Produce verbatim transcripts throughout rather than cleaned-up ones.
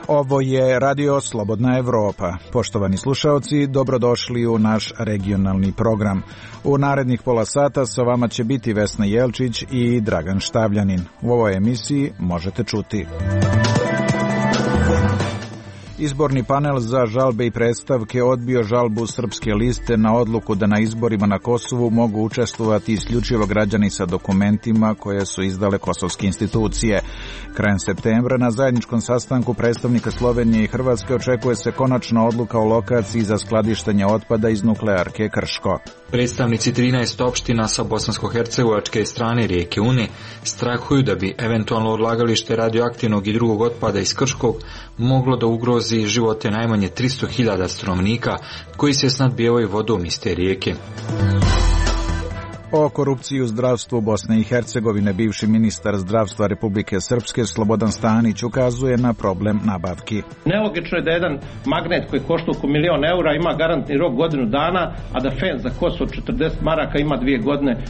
Ovo je Radio Slobodna Evropa. Poštovani slušaoci, dobrodošli u naš regionalni program. U narednih pola sata sa vama će biti Vesna Jelčić i Dragan Štavljanin. U ovoj emisiji možete čuti: izborni panel za žalbe i predstavke odbio žalbu Srpske liste na odluku da na izborima na Kosovu mogu učestvovati isključivo građani sa dokumentima koje su izdale kosovske institucije. Krajem septembra na zajedničkom sastanku predstavnika Slovenije i Hrvatske očekuje se konačna odluka o lokaciji za skladištenje otpada iz nuklearke Krško. Predstavnici trinaest opština sa bosansko-hercegovačke strane rijeke Une strahuju da bi eventualno odlagalište radioaktivnog i drugog otpada iz Krškog moglo da ugrozi živote najmanje tristo hiljada stanovnika koji se snadbijevaju vodom iz te rijeke. O korupciji u zdravstvu Bosne i Hercegovine bivši ministar zdravstva Republike Srpske Slobodan Stanić ukazuje na problem nabavki. Nelogično je da jedan magnet koji košta oko milion eura ima garantni rok godinu dana, a da fen za Kosovo četrdeset maraka ima dvije godine.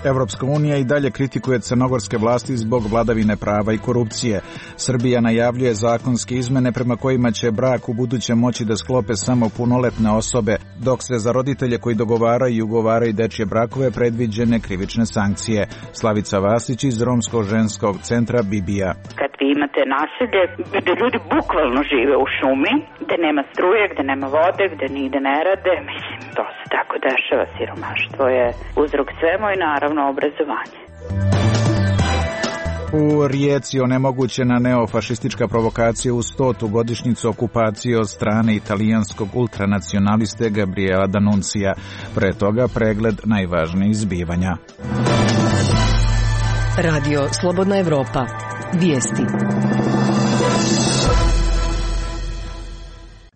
Evropska unija i dalje kritikuje crnogorske vlasti zbog vladavine prava i korupcije. Srbija najavljuje zakonske izmene prema kojima će brak u buduće moći da sklope samo punoletne osobe, dok se za roditelje koji dogovaraju i ugovaraju dečje brakove predviđene krivične sankcije. Slavica Vasić iz Romskog ženskog centra Bibija. Kad vi imate naselje gde ljudi bukvalno žive u šumi, gde nema struje, gde nema vode, gde nigde ne rade, mislim, to se tako dešava, siromaštvo je uzrok svemu i naravno obrazovanje. U Rijeci onemogućena neofašistička provokacija u stotu godišnjicu okupacije od strane italijanskog ultranacionaliste Gabriela D'Annunzia. Pre toga pregled najvažnijih zbivanja. Radio Slobodna Evropa. Vijesti.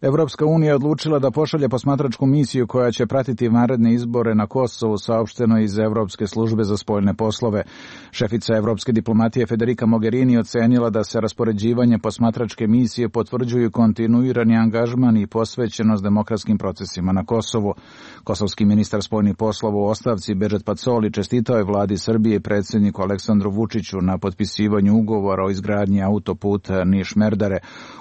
Evropska unija je odlučila da pošalje posmatračku misiju koja će pratiti vanredne izbore na Kosovu, saopšteno iz Evropske službe za spoljne poslove. Šefica evropske diplomatije Federica Mogherini ocenila da se raspoređivanje posmatračke misije potvrđuju kontinuirani angažman i posvećenost demokratskim procesima na Kosovu. Kosovski ministar spoljnih poslova u ostavci Bedžet Pacoli čestitao je vladi Srbije i predsjedniku Aleksandru Vučiću na potpisivanju ugovora o izgradnji autoputa Niš-Merdare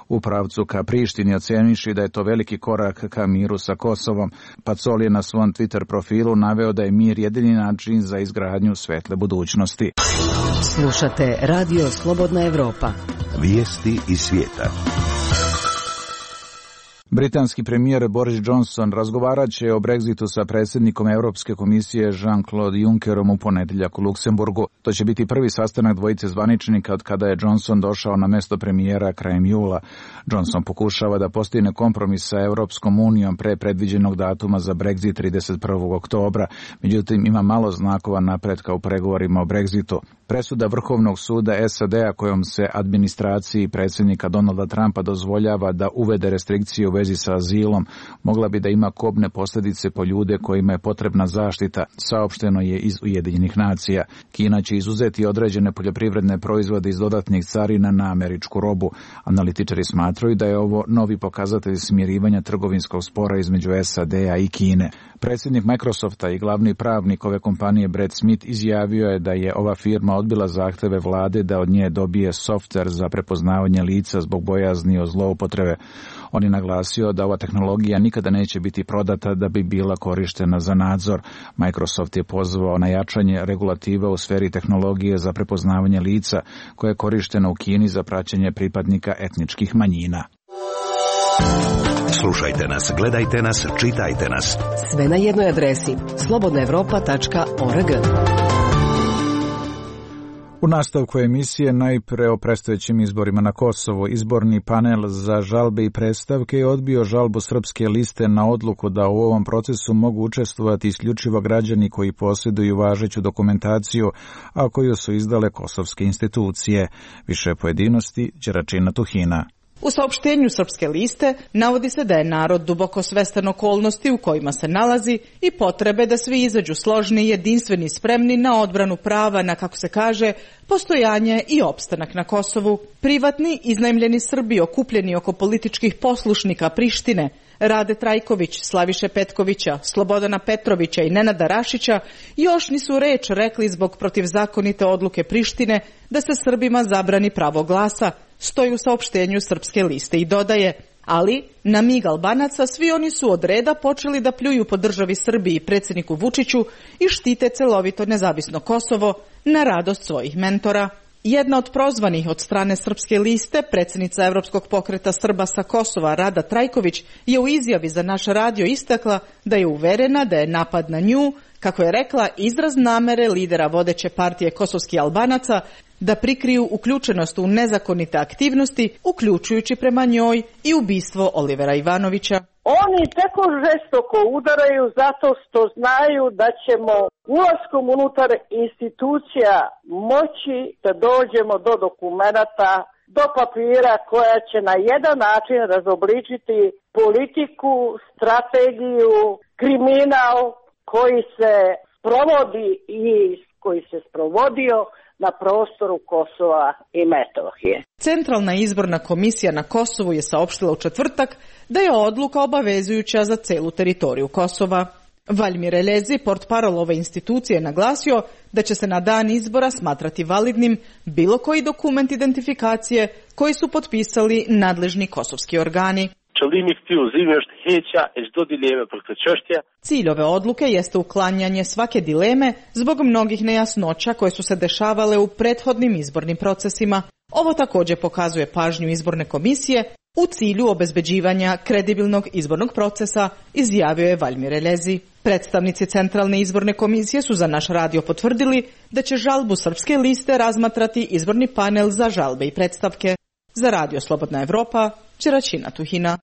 u pravcu ka Prištini, oceniši da je to veliki korak ka miru sa Kosovom. Pacoli je na svom Twitter profilu naveo da je mir jedini način za izgradnju svetle budućnosti. Slušate Radio Slobodna Evropa. Vijesti iz svijeta. Britanski premijer Boris Johnson razgovarat će o Brexitu sa predsjednikom Europske komisije Jean-Claude Junckerom u ponedjeljak u Luksemburgu. To će biti prvi sastanak dvojice zvaničnika od kada je Johnson došao na mesto premijera krajem jula. Johnson pokušava da postigne kompromis sa Europskom unijom pre predviđenog datuma za Brexit trideset prvog oktobra. Međutim, ima malo znakova napretka u pregovorima o Brexitu. Presuda Vrhovnog suda S A D-a kojom se administraciji predsjednika Donalda Trumpa dozvoljava da uvede restrikcije u vezi sa azilom mogla bi da ima kobne posljedice po ljude kojima je potrebna zaštita, saopšteno je iz Ujedinjenih nacija. Kina će izuzeti određene poljoprivredne proizvode iz dodatnih carina na američku robu. Analitičari smatraju da je ovo novi pokazatelj smirivanja trgovinskog spora između S A D-a i Kine. Predsjednik Microsofta i glavni pravnik ove kompanije Brad Smith izjavio je da je ova firma odbila zahteve vlade da od nje dobije softver za prepoznavanje lica zbog bojazni o zloupotrebe. On je naglasio da ova tehnologija nikada neće biti prodata da bi bila korištena za nadzor. Microsoft je pozvao na jačanje regulativa u sferi tehnologije za prepoznavanje lica koje je korišteno u Kini za praćenje pripadnika etničkih manjina. Slušajte nas, gledajte nas, čitajte nas. Sve na jednoj adresi slobodna evropa tačka org. U nastavku emisije najpre o predstojećim izborima na Kosovu. Izborni panel za žalbe i predstavke je odbio žalbu Srpske liste na odluku da u ovom procesu mogu učestvovati isključivo građani koji posjeduju važeću dokumentaciju, a koju su izdale kosovske institucije. Više pojedinosti Đeračina Tuhina. U saopštenju Srpske liste navodi se da je narod duboko svestan okolnosti u kojima se nalazi i potrebe da svi izađu složni, jedinstveni i spremni na odbranu prava na, kako se kaže, postojanje i opstanak na Kosovu. Privatni, iznajmljeni Srbi okupljeni oko političkih poslušnika Prištine Rade Trajković, Slaviše Petkovića, Slobodana Petrovića i Nenada Rašića još nisu reč rekli zbog protivzakonite odluke Prištine da se Srbima zabrani pravo glasa, stoji u saopštenju Srpske liste i dodaje. Ali, na mig Albanaca, svi oni su od reda počeli da pljuju po državi Srbiji i predsjedniku Vučiću i štite celovito nezavisno Kosovo na radost svojih mentora. Jedna od prozvanih od strane Srpske liste, predsjednica Evropskog pokreta Srba sa Kosova Rada Trajković, je u izjavi za naš radio istakla da je uverena da je napad na nju, kako je rekla, izraz namere lidera vodeće partije kosovskih Albanaca da prikriju uključenost u nezakonite aktivnosti, uključujući prema njoj i ubistvo Olivera Ivanovića. Oni tako žestoko udaraju zato što znaju da ćemo ulaskom unutar institucija moći da dođemo do dokumenata, do papira koja će na jedan način razobličiti politiku, strategiju, kriminal koji se provodi i koji se sprovodio na prostoru Kosova i Metohije. Centralna izborna komisija na Kosovu je saopštila u četvrtak da je odluka obavezujuća za celu teritoriju Kosova. Valjmir Elezi, portparol ove institucije, naglasio da će se na dan izbora smatrati validnim bilo koji dokument identifikacije koji su potpisali nadležni kosovski organi. Cilj ove odluke jeste uklanjanje svake dileme zbog mnogih nejasnoća koje su se dešavale u prethodnim izbornim procesima. Ovo također pokazuje pažnju izborne komisije u cilju obezbeđivanja kredibilnog izbornog procesa, izjavio je Valjmir Elezi. Predstavnici Centralne izborne komisije su za naš radio potvrdili da će žalbu Srpske liste razmatrati izborni panel za žalbe i predstavke. Za Radio Slobodna Evropa, Đeraćina Tuhina.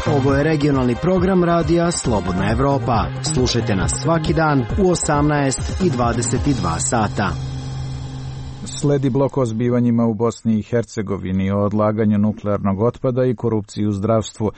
Ovo je regionalni program radija Slobodna Evropa. Slušajte nas svaki dan u osamnaest i dvadeset dva sata. Sledi blok o zbivanjima u Bosni i Hercegovini, o odlaganju nuklearnog otpada i korupciji u zdravstvu.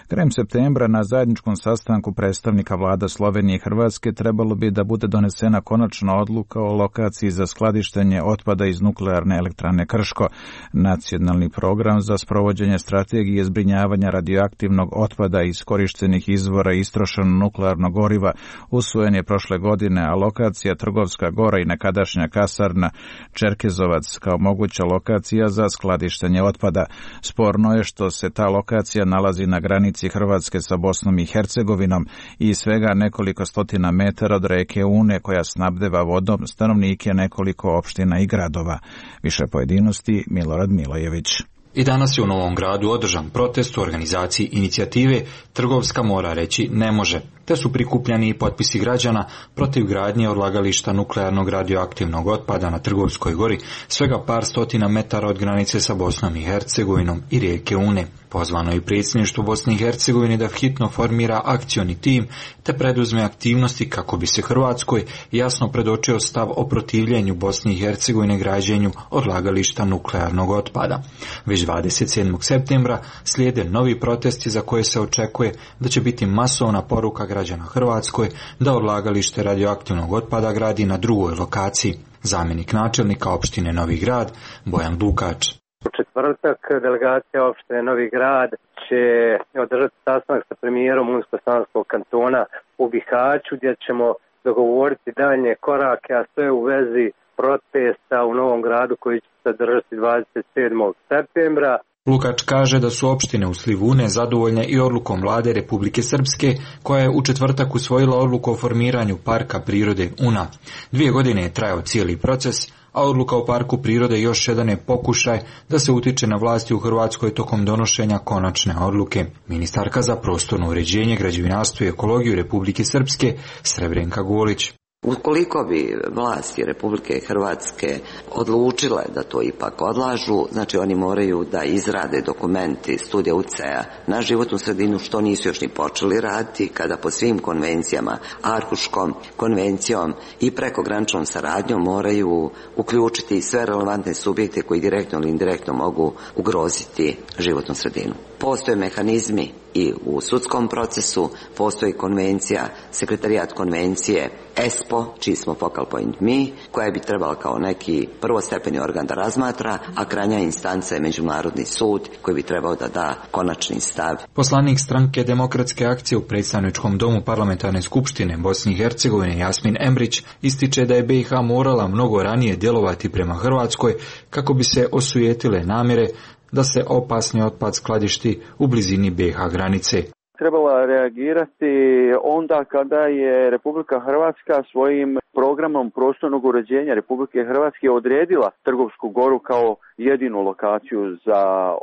Krajem septembra na zajedničkom sastanku predstavnika vlada Slovenije i Hrvatske trebalo bi da bude donesena konačna odluka o lokaciji za skladištenje otpada iz nuklearne elektrane Krško. Nacionalni program za sprovođenje strategije zbrinjavanja radioaktivnog otpada iz korištenih izvora istrošenog nuklearnog goriva usvojen je prošle godine, a lokacija Trgovska Gora i nekadašnja kasarna Čerkezovac kao moguća lokacija za skladištenje otpada. Sporno je što se ta lokacija nalazi na granici Hrvatske sa Bosnom i Hercegovinom i svega nekoliko stotina metara od reke Une koja snabdeva vodom stanovnike nekoliko opština i gradova. Više pojedinosti Milorad Milojević. I danas je u Novom Gradu održan protest u organizaciji inicijative Trgovska mora reći ne može, te su prikupljani i potpisi građana protiv gradnje odlagališta nuklearnog radioaktivnog otpada na Trgovskoj gori, svega par stotina metara od granice sa Bosnom i Hercegovinom i rijeke Une. Pozvano je i predsjedništvo Bosne i Hercegovine da hitno formira akcioni tim te preduzme aktivnosti kako bi se Hrvatskoj jasno predočio stav o protivljenju Bosne i Hercegovine građenju odlagališta nuklearnog otpada. Već dvadeset sedmog septembra slijede novi protesti za koje se očekuje da će biti masovna poruka građana Hrvatskoj da odlagalište radioaktivnog otpada gradi na drugoj lokaciji. Zamjenik načelnika opštine Novi Grad Bojan Lukač. U četvrtak delegacija opštine Novi Grad će održati sastanak sa premijerom Unsko-Sanskog kantona u Bihaću gdje ćemo dogovoriti daljnje korake, a sve u vezi protesta u Novom Gradu koji će se održati dvadeset sedmog septembra. Lukač kaže da su opštine u slivu Une zadovoljne i odlukom vlade Republike Srpske, koja je u četvrtak usvojila odluku o formiranju parka prirode Una. Dvije godine je trajao cijeli proces, a odluka o parku prirode još jedan je pokušaj da se utiče na vlasti u Hrvatskoj tokom donošenja konačne odluke. Ministarka za prostorno uređenje, građevinarstvo i ekologiju Republike Srpske Srebrenka Golić. Ukoliko bi vlasti Republike Hrvatske odlučile da to ipak odlažu, znači oni moraju da izrade dokumenti studija utjecaja na životnu sredinu, što nisu još ni počeli raditi, kada po svim konvencijama, Arhuškom konvencijom i prekograničnom saradnjom moraju uključiti sve relevantne subjekte koji direktno ili indirektno mogu ugroziti životnu sredinu. Postoje mehanizmi i u sudskom procesu, postoji konvencija, sekretarijat konvencije E S P O, čiji smo focal point mi, koja bi trebala kao neki prvostepeni organ da razmatra, a krajnja instanca je Međunarodni sud koji bi trebao da da konačni stav. Poslanik stranke Demokratske akcije u predstavničkom domu Parlamentarne skupštine Bosne i Hercegovine Jasmin Embrić ističe da je B i H morala mnogo ranije djelovati prema Hrvatskoj kako bi se osujetile namjere da se opasni otpad skladišti u blizini B i H granice. Trebala reagirati onda kada je Republika Hrvatska svojim programom prostornog uređenja Republike Hrvatske odredila Trgovsku goru kao jedinu lokaciju za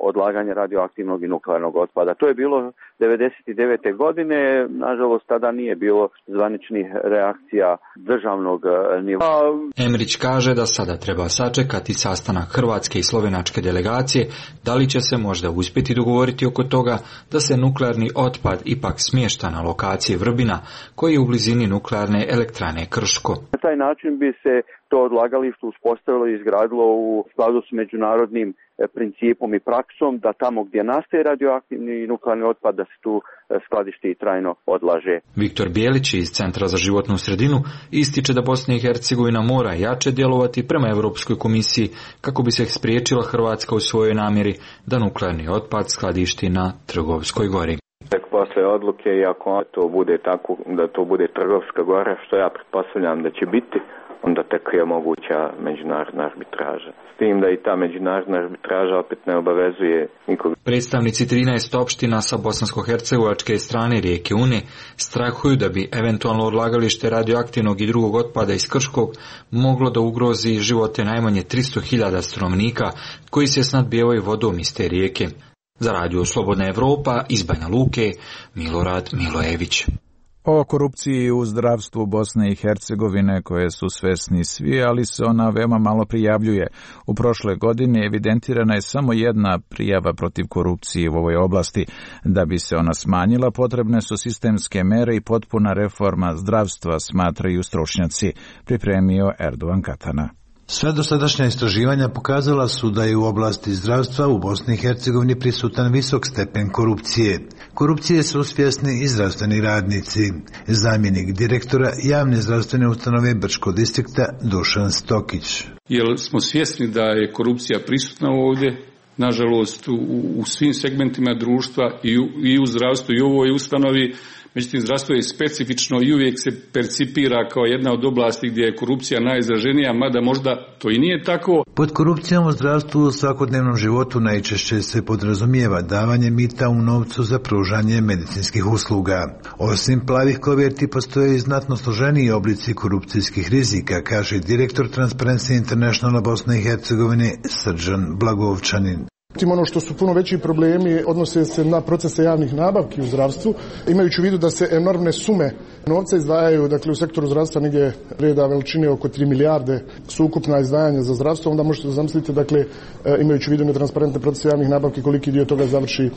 odlaganje radioaktivnog i nuklearnog otpada. To je bilo devedeset devete godine, nažalost tada nije bilo zvaničnih reakcija državnog nivoa. Emrić kaže da sada treba sačekati sastanak hrvatske i slovenačke delegacije, da li će se možda uspjeti dogovoriti oko toga da se nuklearni otpad ipak smješta na lokaciji Vrbina, koji je u blizini nuklearne elektrane Krško. Na taj način bi se to odlagalište uspostavilo i izgradilo u skladu s međunarodnim principom i praksom, da tamo gdje nastaje radioaktivni i nuklearni otpad da se tu skladišti i trajno odlaže. Viktor Bijelić iz Centra za životnu sredinu ističe da Bosna i Hercegovina mora jače djelovati prema Europskoj komisiji kako bi se spriječila Hrvatska u svojoj namjeri da nuklearni otpad skladišti na Trgovskoj gori. Tek posle odluke, i ako to bude tako, da to bude Trgovska gora, što ja pretpostavljam da će biti, onda tek je moguća međunarodna arbitraža. S tim da i ta međunarodna arbitraža opet ne obavezuje nikog. Predstavnici trinaest opština sa bosansko-hercegovačke strane rijeke Une strahuju da bi eventualno odlagalište radioaktivnog i drugog otpada iz Krškog moglo da ugrozi živote najmanje tristo hiljada stanovnika koji se snadbijevaju vodom iz te rijeke. Za Radio Slobodna Evropa iz Banja Luke, Milorad Milojević. O korupciji u zdravstvu Bosne i Hercegovine koje su svesni svi, ali se ona veoma malo prijavljuje. U prošle godine evidentirana je samo jedna prijava protiv korupcije u ovoj oblasti. Da bi se ona smanjila, potrebne su sistemske mere i potpuna reforma zdravstva, smatraju stručnjaci, pripremio Erdogan Katana. Sve dosadašnja istraživanja pokazala su da je u oblasti zdravstva u Bosni i Hercegovini prisutan visok stepen korupcije. Korupcije su svjesni i zdravstveni radnici. Zamjenik direktora javne zdravstvene ustanove Brčkog distrikta Dušan Stokić. Jer smo svjesni da je korupcija prisutna ovdje, nažalost u, u svim segmentima društva i u, i u zdravstvu i u ovoj ustanovi. Međutim, zdravstvo je specifično i uvijek se percipira kao jedna od oblasti gdje je korupcija najizraženija, mada možda to i nije tako. Pod korupcijom u zdravstvu u svakodnevnom životu najčešće se podrazumijeva davanje mita u novcu za pružanje medicinskih usluga. Osim plavih koverti postoje i znatno složeniji oblici korupcijskih rizika, kaže direktor Transparency Internationala Bosne i Hercegovine Srđan Blagovčanin. Ono što su puno veći problemi odnose se na procese javnih nabavki u zdravstvu, imajući u vidu da se enormne sume novca izdvajaju, dakle u sektoru zdravstva negdje reda veličine oko tri milijarde su ukupna izdvajanja za zdravstvo, onda možete zamisliti, dakle, imajući u vidu netransparentne procese javnih nabavki, koliki dio toga završi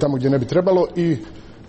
tamo gdje ne bi trebalo. I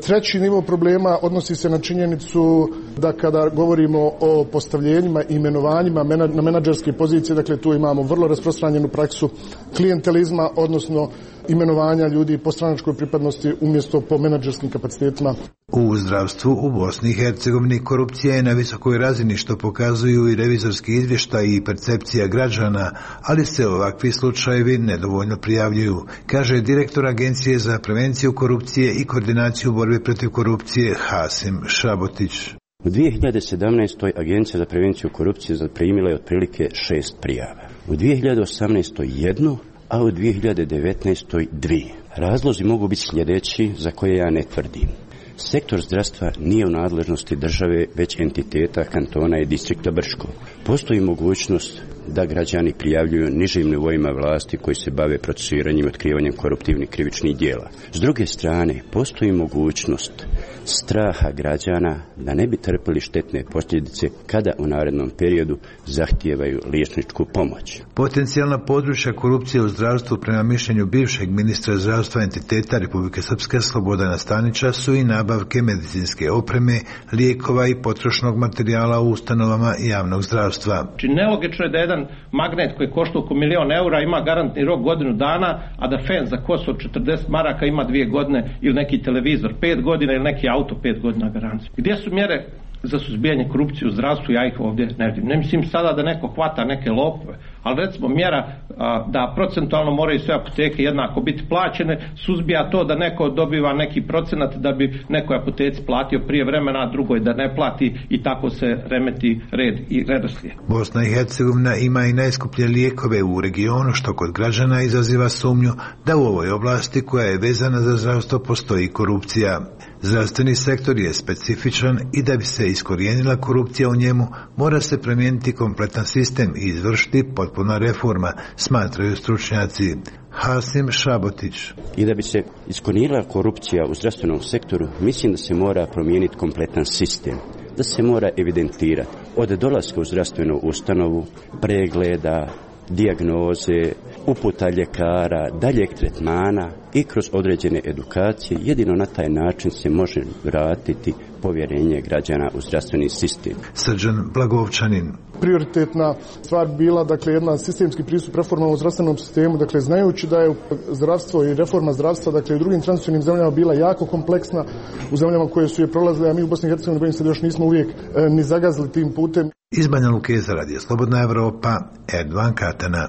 treći nivo problema odnosi se na činjenicu da kada govorimo o postavljenjima i imenovanjima na menadžerske pozicije, dakle tu imamo vrlo rasprostranjenu praksu klijentelizma, odnosno imenovanja ljudi po stranačkoj pripadnosti umjesto po menadžerskim kapacitetima. U zdravstvu u Bosni i Hercegovini korupcija je na visokoj razini, što pokazuju i revizorski izvještaji i percepcija građana, ali se ovakvi slučajevi nedovoljno prijavljuju, kaže direktor Agencije za prevenciju korupcije i koordinaciju borbe protiv korupcije Hasim Šabotić. U dvije hiljade sedamnaestoj. Agencija za prevenciju korupcije zaprimila je otprilike šest prijava. U dvije hiljade osamnaestoj. jednu, a u dvije hiljade devetnaestoj. dvije. Razlozi mogu biti sljedeći, za koje ja ne tvrdim. Sektor zdravstva nije u nadležnosti države, već entiteta kantona i distrikta Brčko. Postoji mogućnost da građani prijavljuju nižim nivoima vlasti koji se bave procesuiranjem i otkrivanjem koruptivnih krivičnih djela. S druge strane, postoji mogućnost straha građana da ne bi trpili štetne posljedice kada u narednom periodu zahtijevaju liječničku pomoć. Potencijalna područja korupcije u zdravstvu prema mišljenju bivšeg ministra zdravstva entiteta Republike Srpske Slobodana Stanića su i nabavke medicinske opreme, lijekova i potrošnog materijala u ustanovama javnog zdravstva. Znači, nelogično je da jedan jedan magnet koji košta oko milion eura ima garantni rok godinu dana, a da fen za kosu od četrdeset maraka ima dvije godine ili neki televizor pet godina ili neki auto pet godina garanciju. Gdje su mjere za suzbijanje korupcije u zdravstvu? Ja ih ovdje ne vidim. Ne mislim sada da neko hvata neke lopove, ali recimo mjera a, da procentualno moraju sve apoteke jednako biti plaćene, suzbija to da neko dobiva neki procenat da bi nekoj apoteci platio prije vremena, a drugoj da ne plati i tako se remeti red i redoslijed. Bosna i Hercegovina ima i najskuplje lijekove u regionu, što kod građana izaziva sumnju da u ovoj oblasti koja je vezana za zdravstvo postoji korupcija. Zdravstveni sektor je specifičan i da bi se iskorijenila korupcija u njemu, mora se promijeniti kompletan sistem i izvršiti potpuna reforma, smatraju stručnjaci. Hasim Šabotić. I da bi se iskorijenila korupcija u zdravstvenom sektoru, mislim da se mora promijeniti kompletan sistem, da se mora evidentirati od dolaska u zdravstvenu ustanovu, pregleda, dijagnoze, uputa ljekara, daljeg tretmana i kroz određene edukacije. Jedino na taj način se može vratiti povjerenje građana u zdravstveni sistem. Srđan Blagovčanin. Prioritetna stvar bila, dakle, jedna sistemski pristup reformama u zdravstvenom sistemu, dakle, znajući da je zdravstvo i reforma zdravstva, dakle, u drugim tranzicionim zemljama bila jako kompleksna, u zemljama koje su je prolazile, a mi u Bosni i Hercegovini, bojim se da još nismo uvijek e, ni zagazili tim putem. Iz Banja Luke za Radio Slobodna Evropa, Erdovan Katana.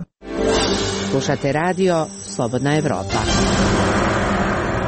Slušate radio Slobodna Evropa.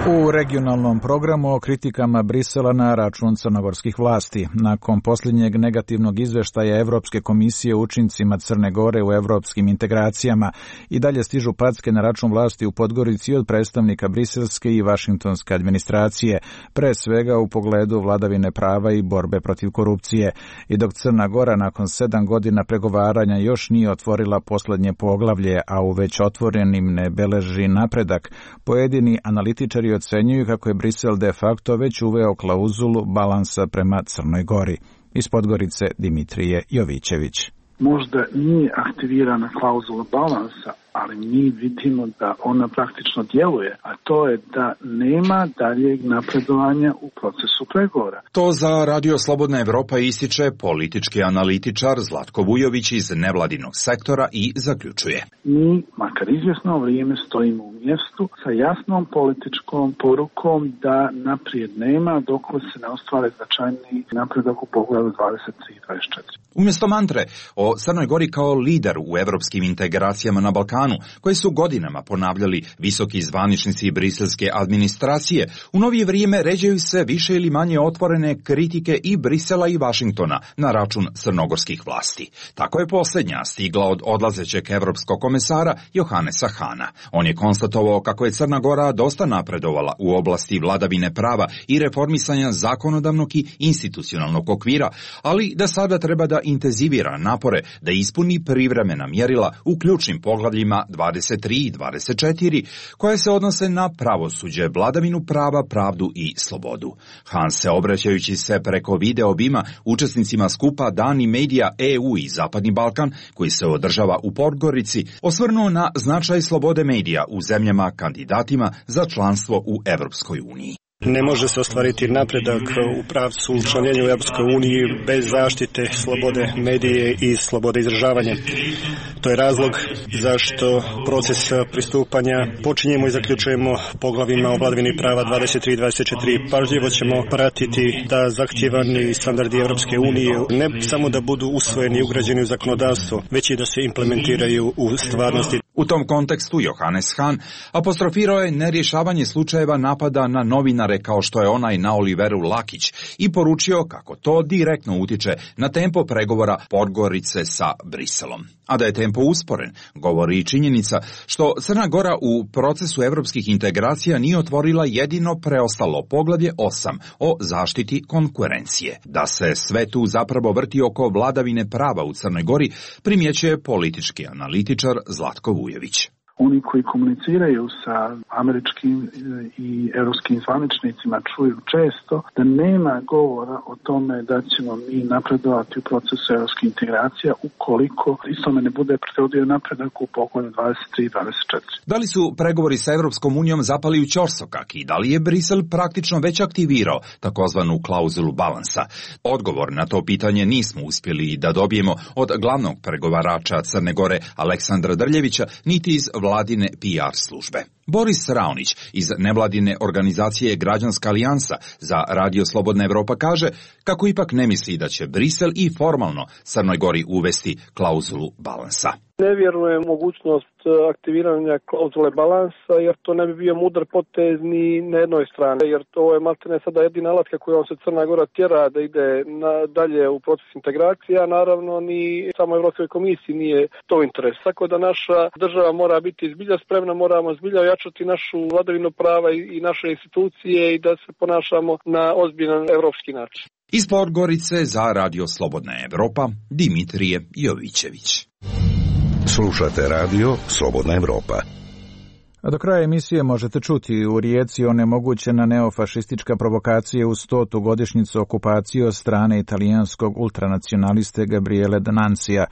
U regionalnom programu o kritikama Brisela na račun crnogorskih vlasti. Nakon posljednjeg negativnog izveštaja Evropske komisije o učincima Crne Gore u evropskim integracijama, i dalje stižu packe na račun vlasti u Podgorici od predstavnika briselske i vašingtonske administracije, pre svega u pogledu vladavine prava i borbe protiv korupcije. I dok Crna Gora nakon sedam godina pregovaranja još nije otvorila posljednje poglavlje, a u već otvorenim ne beleži napredak, pojedini analitičari ocenjuju kako je Brisel de facto već uveo klauzulu balansa prema Crnoj Gori. Iz Podgorice Dimitrije Jovićević. Možda nije aktivirana klauzula balansa, ali mi vidimo da ona praktično djeluje, a to je da nema daljeg napredovanja u procesu pregovora. To za Radio Slobodna Evropa ističe politički analitičar Zlatko Vujović iz nevladinog sektora i zaključuje. Mi, makar izvjesno vrijeme, stojimo u mjestu sa jasnom političkom porukom da naprijed nema dok se ne ostvare značajni napredak u pogledu dvadeset tri i dvadeset četiri. Umjesto mantre o Crnoj Gori kao lider u evropskim integracijama na Balkanu, koje su godinama ponavljali visoki zvaničnici briselske administracije, u novije vrijeme ređaju se više ili manje otvorene kritike i Brisela i Vašingtona na račun crnogorskih vlasti. Tako je posljednja stigla od odlazećeg evropskog komesara Johanesa Hana. On je konstatovao kako je Crna Gora dosta napredovala u oblasti vladavine prava i reformisanja zakonodavnog i institucionalnog okvira, ali da sada treba da intenzivira napore da ispuni privremena mjerila u ključnim poglavljima dvadeset tri i dvadeset četiri, koje se odnose na pravosuđe, vladavinu prava, pravdu i slobodu. Han se, obraćajući se preko video obima učesnicima skupa Dani Medija E U i Zapadni Balkan, koji se održava u Podgorici, osvrnuo na značaj slobode medija u zemljama kandidatima za članstvo u Evropskoj uniji. Ne može se ostvariti napredak u pravcu učlanjenja u Europskoj uniji bez zaštite slobode medije i slobode izražavanja. To je razlog zašto proces pristupanja počinjemo i zaključujemo poglavima o vladavini prava dvadeset tri i dvadeset četiri. Pažljivo ćemo pratiti da zahtijevani standardi Europske unije ne samo da budu usvojeni i ugrađeni u zakonodavstvo, već i da se implementiraju u stvarnosti. U tom kontekstu Johannes Hahn apostrofirao je nerješavanje slučajeva napada na novinare kao što je onaj na Oliveru Lakić i poručio kako to direktno utiče na tempo pregovora Podgorice sa Briselom. A da je tempo usporen, govori i činjenica što Crna Gora u procesu evropskih integracija nije otvorila jedino preostalo poglavlje osam o zaštiti konkurencije. Da se sve tu zapravo vrti oko vladavine prava u Crnoj Gori, primjećuje politički analitičar Zlatko Vujović. Oni koji komuniciraju sa američkim i europskim zvaničnicima čuju često, da nema govora o tome da ćemo mi napredovati u procesu europskih integracija ukoliko istome ne bude prethodio napredak u poglavlju dvadeset tri i dvadeset četiri. Da li su pregovori sa Evropskom unijom zapali u ćorsokak i da li je Brisel praktično već aktivirao takozvanu klauzulu balansa? Odgovor na to pitanje nismo uspjeli da dobijemo od glavnog pregovarača Crne Gore Aleksandra Drljevića, niti iz vladine P R službe. Boris Raonić iz nevladine organizacije Građanska alijansa za Radio Slobodna Evropa kaže kako ipak ne misli da će Brisel i formalno Crnoj Gori uvesti klauzulu balansa. Ne vjerujem mogućnost aktiviranja klauzule balansa, jer to ne bi bio mudar potez ni na jednoj strani, jer to je maltene sada jedina alatka kojom se Crna Gora tjera da ide na, dalje u proces integracija, naravno ni samo Evropskoj komisiji nije to interes. Tako da naša država mora biti zbilja spremna, moramo zbilja ojačati našu vladavinu prava i, i naše institucije i da se ponašamo na ozbiljan evropski način. Iz Podgorice za Radio Slobodna Evropa, Dimitrije Jovićević. Slušate Radio Slobodna Evropa. A do kraja emisije možete čuti u Rijeci onemogućena neofašistička provokacija u stotu godišnjicu okupacije od strane italijanskog ultranacionaliste Gabriele D'Annunzia.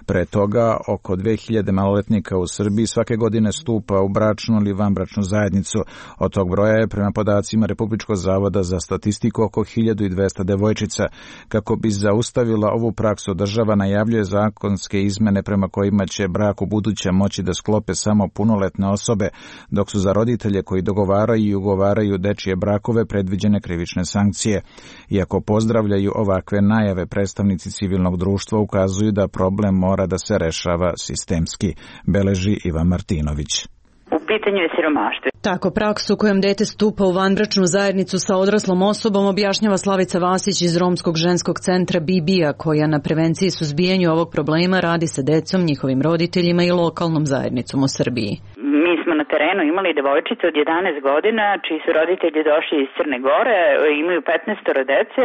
Pre toga oko dve hiljade maloletnika u Srbiji svake godine stupa u bračnu ili vanbračnu zajednicu. Od tog broja je prema podacima Republičkog zavoda za statistiku oko hiljadu dvesta devojčica. Kako bi zaustavila ovu praksu, država najavljuje zakonske izmene prema kojima će brak u buduće moći da sklope samo punoletne osobe, dok su za roditelje koji dogovaraju i ugovaraju dečije brakove predviđene krivične sankcije. Iako pozdravljaju ovakve najave, predstavnici civilnog društva ukazuju da problem mora da se rešava sistemski, beleži Ivan Martinović. U pitanju je siromaštvo. Tako praksu kojom dete stupa u vanbračnu zajednicu sa odraslom osobom objašnjava Slavica Vasić iz Romskog ženskog centra B B A, koja na prevenciji i suzbijanju ovog problema radi sa decom, njihovim roditeljima i lokalnom zajednicom u Srbiji. Mi smo na terenu imali devojčice od jedanaest godina, čiji su roditelji došli iz Crne Gore, imaju petnaest dece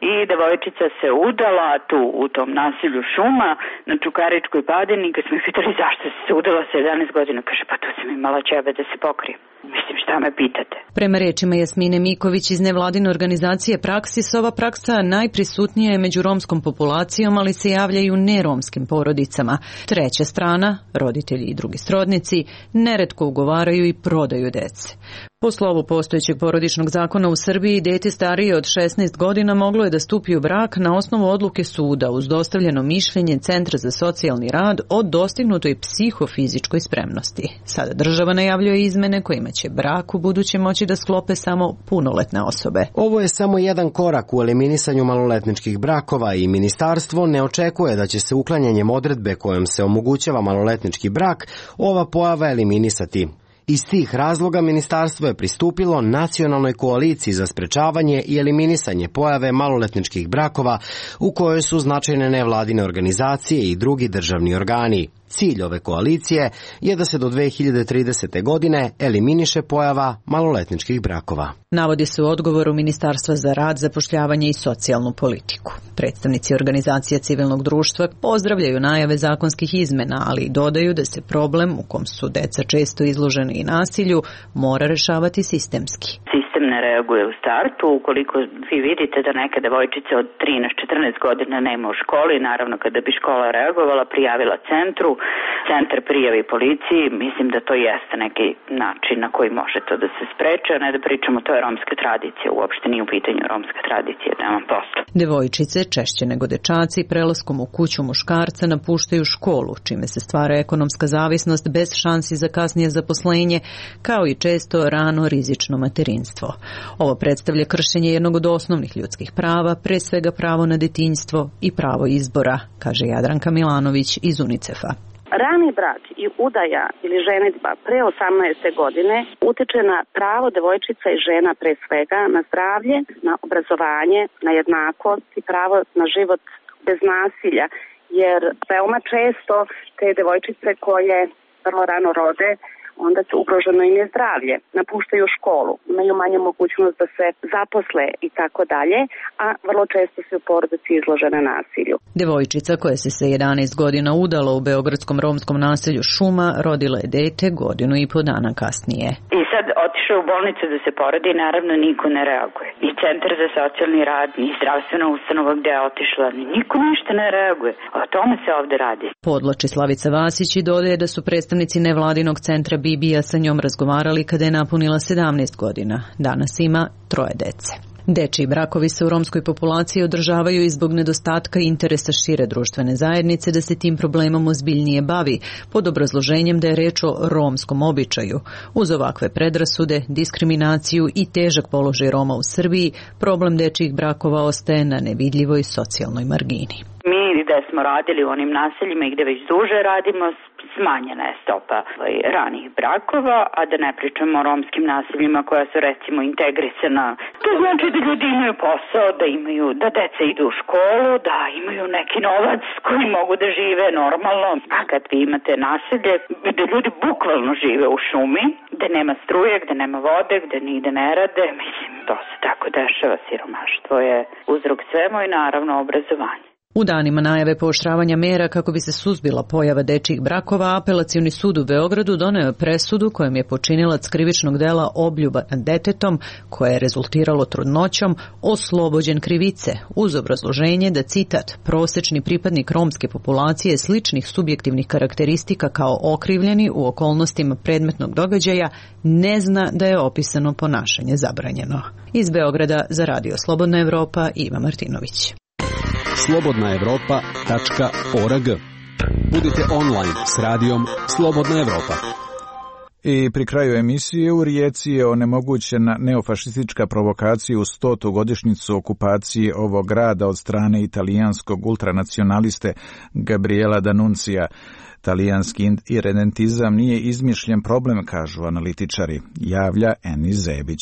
i devojčica se udala tu u tom nasilju šuma na Čukaričkoj padini. Kad smo ih pitali zašto se udala sa jedanaest godina, kaže pa tu sam imala ćebe da se pokrijem. Mislim, šta me pitate? Prema rečima Jasmine Miković iz nevladine organizacije Praksis, ova praksa najprisutnija je među romskom populacijom, ali se javlja i u neromskim porodicama. Treća strana, roditelji i drugi srodnici, neretko ugovaraju i prodaju dece. Po slovu postojećeg porodičnog zakona u Srbiji, dete starije od šesnaest godina moglo je da stupi u brak na osnovu odluke suda uz dostavljeno mišljenje Centra za socijalni rad o dostignutoj psihofizičkoj spremnosti. Sada država najavljuje izmene kojima će brak u buduće moći da sklope samo punoletne osobe. Ovo je samo jedan korak u eliminisanju maloletničkih brakova i ministarstvo ne očekuje da će se uklanjanjem odredbe kojom se omogućava maloletnički brak ova pojava eliminisati. Iz tih razloga ministarstvo je pristupilo nacionalnoj koaliciji za sprečavanje i eliminisanje pojave maloletničkih brakova u kojoj su značajne nevladine organizacije i drugi državni organi. Cilj ove koalicije je da se do dve hiljade tridesete. godine eliminiše pojava maloletničkih brakova. Navodi se u odgovoru Ministarstva za rad, zapošljavanje i socijalnu politiku. Predstavnici organizacija civilnog društva pozdravljaju najave zakonskih izmena, ali dodaju da se problem u kom su deca često izloženi i nasilju mora rešavati sistemski. Sistem ne reaguje u startu. Ukoliko vi vidite da neka devojčica od trinaest četrnaest godina nema u školi, naravno kada bi škola reagovala, prijavila centru, centar prijavi policiji, mislim da to jeste neki način na koji može to da se spreče, a ne da pričamo to je romska tradicija, uopšte nije u pitanju romska tradicija, nemam posla. Devojčice, češće nego dečaci, prelaskom u kuću muškarca napuštaju školu, čime se stvara ekonomska zavisnost bez šansi za kasnije zaposlenje, kao i često rano rizično materinstvo. Ovo predstavlja kršenje jednog od osnovnih ljudskih prava, pre svega pravo na detinjstvo i pravo izbora, kaže Jadranka Milanović iz UNICEF-a. Rani brak i udaja ili ženidba pre osamnaeste godine utiče na pravo devojčica i žena pre svega na zdravlje, na obrazovanje, na jednakost i pravo na život bez nasilja, jer veoma često te devojčice koje vrlo rano rode onda se ugroženo im je zdravlje, napuštaju školu, imaju manju mogućnost da se zaposle i tako dalje, a vrlo često su porodice izložene nasilju. Devojčica koja se sa jedanaest godina udala u beogradskom romskom naselju Šuma rodila je dete godinu i po dana kasnije. I sad otišao u bolnicu da se porodi, naravno niko ne reaguje. Ni centar za socijalni rad, ni zdravstvena ustanova gde je otišla, niko ništa ne reaguje. O tome se ovde radi. Podlači Slavica Vasić i dodaje da su predstavnici nevladinog centra Bibija sa njom razgovarali kada je napunila sedamnaest godina. Danas ima troje dece. Dečiji brakovi se u romskoj populaciji održavaju i zbog nedostatka interesa šire društvene zajednice da se tim problemom ozbiljnije bavi, pod obrazloženjem da je reč o romskom običaju. Uz ovakve predrasude, diskriminaciju i težak položaj Roma u Srbiji, problem dečijih brakova ostaje na nevidljivoj socijalnoj margini. Mi gde smo radili u onim naseljima i gde već duže radimo, smanjena je stopa ranih brakova, a da ne pričamo o romskim naseljima koja su recimo integrisana. To znači da ljudi imaju posao, da imaju, da deca idu u školu, da imaju neki novac koji mogu da žive normalno. A kad vi imate naselje gde ljudi bukvalno žive u šumi, gde nema struje, gde nema vode, gde nigde ne rade, mislim, to se tako dešava, siromaštvo je uzrok svemu i naravno obrazovanje. U danima najave pooštravanja mera kako bi se suzbila pojava dečjih brakova, Apelacioni sud u Beogradu doneo je presudu kojom je počinilac krivičnog dela obljuba nad detetom, koje je rezultiralo trudnoćom, oslobođen krivice, uz obrazloženje da, citat, prosečni pripadnik romske populacije sličnih subjektivnih karakteristika kao okrivljeni u okolnostima predmetnog događaja ne zna da je opisano ponašanje zabranjeno. Iz Beograda za Radio Slobodna Evropa, Iva Martinović. slobodna evropa tačka org. Budite online s radijom Slobodna Evropa. I pri kraju emisije u Rijeci je onemogućena neofašistička provokacija u stotu godišnjicu okupacije ovog grada od strane italijanskog ultranacionaliste Gabriela D'Annunzia. Talijanski irredentizam nije izmišljen problem, kažu analitičari, javlja Enis Zebić.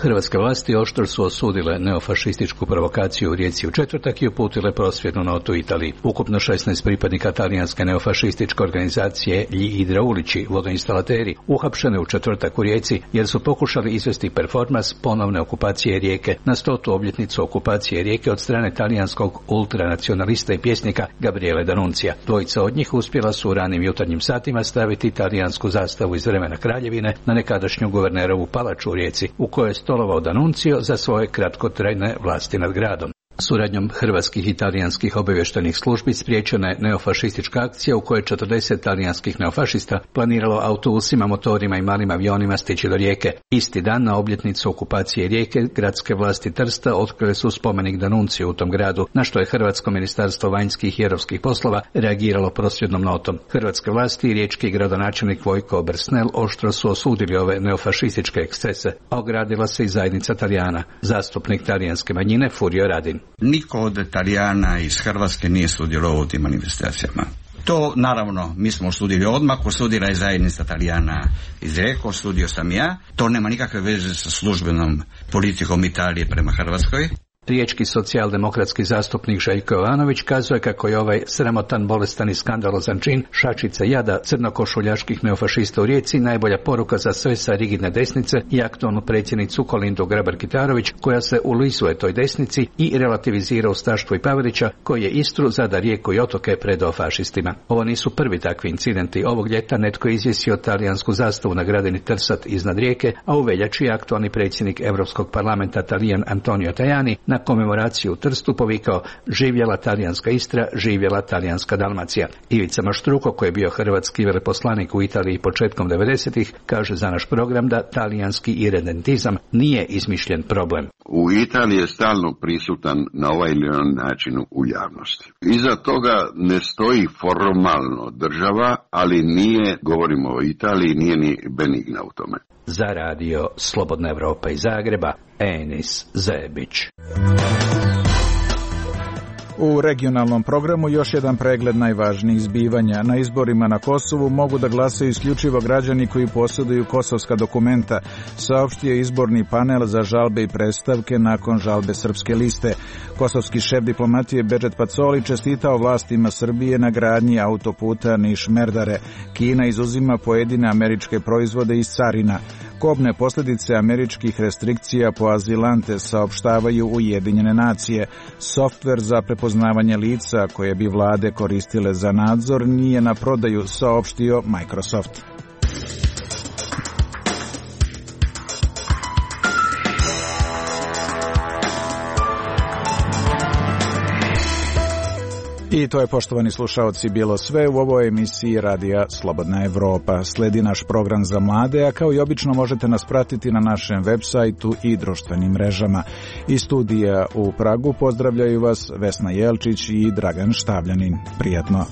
Hrvatske vlasti oštro su osudile neofašističku provokaciju u Rijeci u četvrtak i uputile prosvjednu notu Italiji. Ukupno šesnaest pripadnika talijanske neofašističke organizacije Gli idraulici, vodoinstalateri, uhapšene u četvrtak u Rijeci jer su pokušali izvesti performans ponovne okupacije Rijeke na stotu obljetnicu okupacije Rijeke od strane talijanskog ultranacionalista i pjesnika Gabriele D'Annunzia. Dvojica od njih uspjela su u ranim jutarnjim satima staviti talijansku zastavu iz vremena kraljevine na nekadašnju guvernerovu palaču u Rijeci, u kojoj je stolovao D'Annunzio za svoje kratkotrajne vlasti nad gradom. Suradnjom hrvatskih i talijanskih obavještajnih službi spriječena je neofašistička akcija u kojoj četrdeset talijanskih neofašista planiralo autobusima, motorima i malim avionima stići do Rijeke. Isti dan na obljetnicu okupacije Rijeke gradske vlasti Trsta otkrile su spomenik D'Annunzio u tom gradu, na što je Hrvatsko ministarstvo vanjskih i europskih poslova reagiralo prosvjednom notom. Hrvatske vlasti i riječki gradonačelnik Vojko Bersnel oštro su osudili ove neofašističke ekscese, a ogradila se i zajednica Talijana. Zastupnik talijanske manjine Furio Radin. Niko od Talijana iz Hrvatske nije sudjelovao u tim manifestacijama. To, naravno, mi smo osudili odmah, osudila je zajednica Talijana iz Rijeke, osudio sam ja. To nema nikakve veze sa službenom politikom Italije prema Hrvatskoj. Riječki socijaldemokratski zastupnik Željko Jovanović kazuje kako je ovaj sramotan, bolestan i skandalozan čin šačica jada crnokošuljaških neofašista u Rijeci najbolja poruka za sve sa rigidne desnice i aktualnu predsjednicu Kolindu Grabar-Kitarović, koja se ulizuje toj desnici i relativizira ustaštvo i Pavelića, koji je Istru, Zadar, Rijeku i otoke predao fašistima. Ovo nisu prvi takvi incidenti. Ovog ljeta netko je izvjesio talijansku zastavu na gradini Trsat iznad Rijeke, a u veljači je aktualni predsjednik Europskog parlamenta Talijan Antonio Tajani na komemoraciju u Trstu povikao živjela talijanska Istra, živjela talijanska Dalmacija. Ivica Maštruko, koji je bio hrvatski veleposlanik u Italiji početkom devedesetih, kaže za naš program da talijanski irredentizam nije izmišljen problem. U Italiji je stalno prisutan na ovaj ili on način u javnosti. Iza toga ne stoji formalno država, ali nije, govorimo o Italiji, nije ni benigna u tome. Za radio Slobodna Evropa iz Zagreba, Enis Zebić. U regionalnom programu još jedan pregled najvažnijih zbivanja. Na izborima na Kosovu mogu da glasaju isključivo građani koji posjeduju kosovska dokumenta, saopštio izborni panel za žalbe i predstavke nakon žalbe Srpske liste. Kosovski šef diplomatije Bedžet Pacoli čestitao vlastima Srbije na gradnji autoputa Niš-Merdare. Kina izuzima pojedine američke proizvode iz carina. Kobne posljedice američkih restrikcija po azilante saopštavaju Ujedinjene nacije. Softver za prepoznavanje lica koje bi vlade koristile za nadzor nije na prodaju, saopštio Microsoft. I to je, poštovani slušaoci, bilo sve u ovoj emisiji Radija Slobodna Evropa. Sledi naš program za mlade, a kao i obično možete nas pratiti na našem web sajtu i društvenim mrežama. Iz studija u Pragu pozdravljaju vas Vesna Jelčić i Dragan Štavljanin. Prijatno.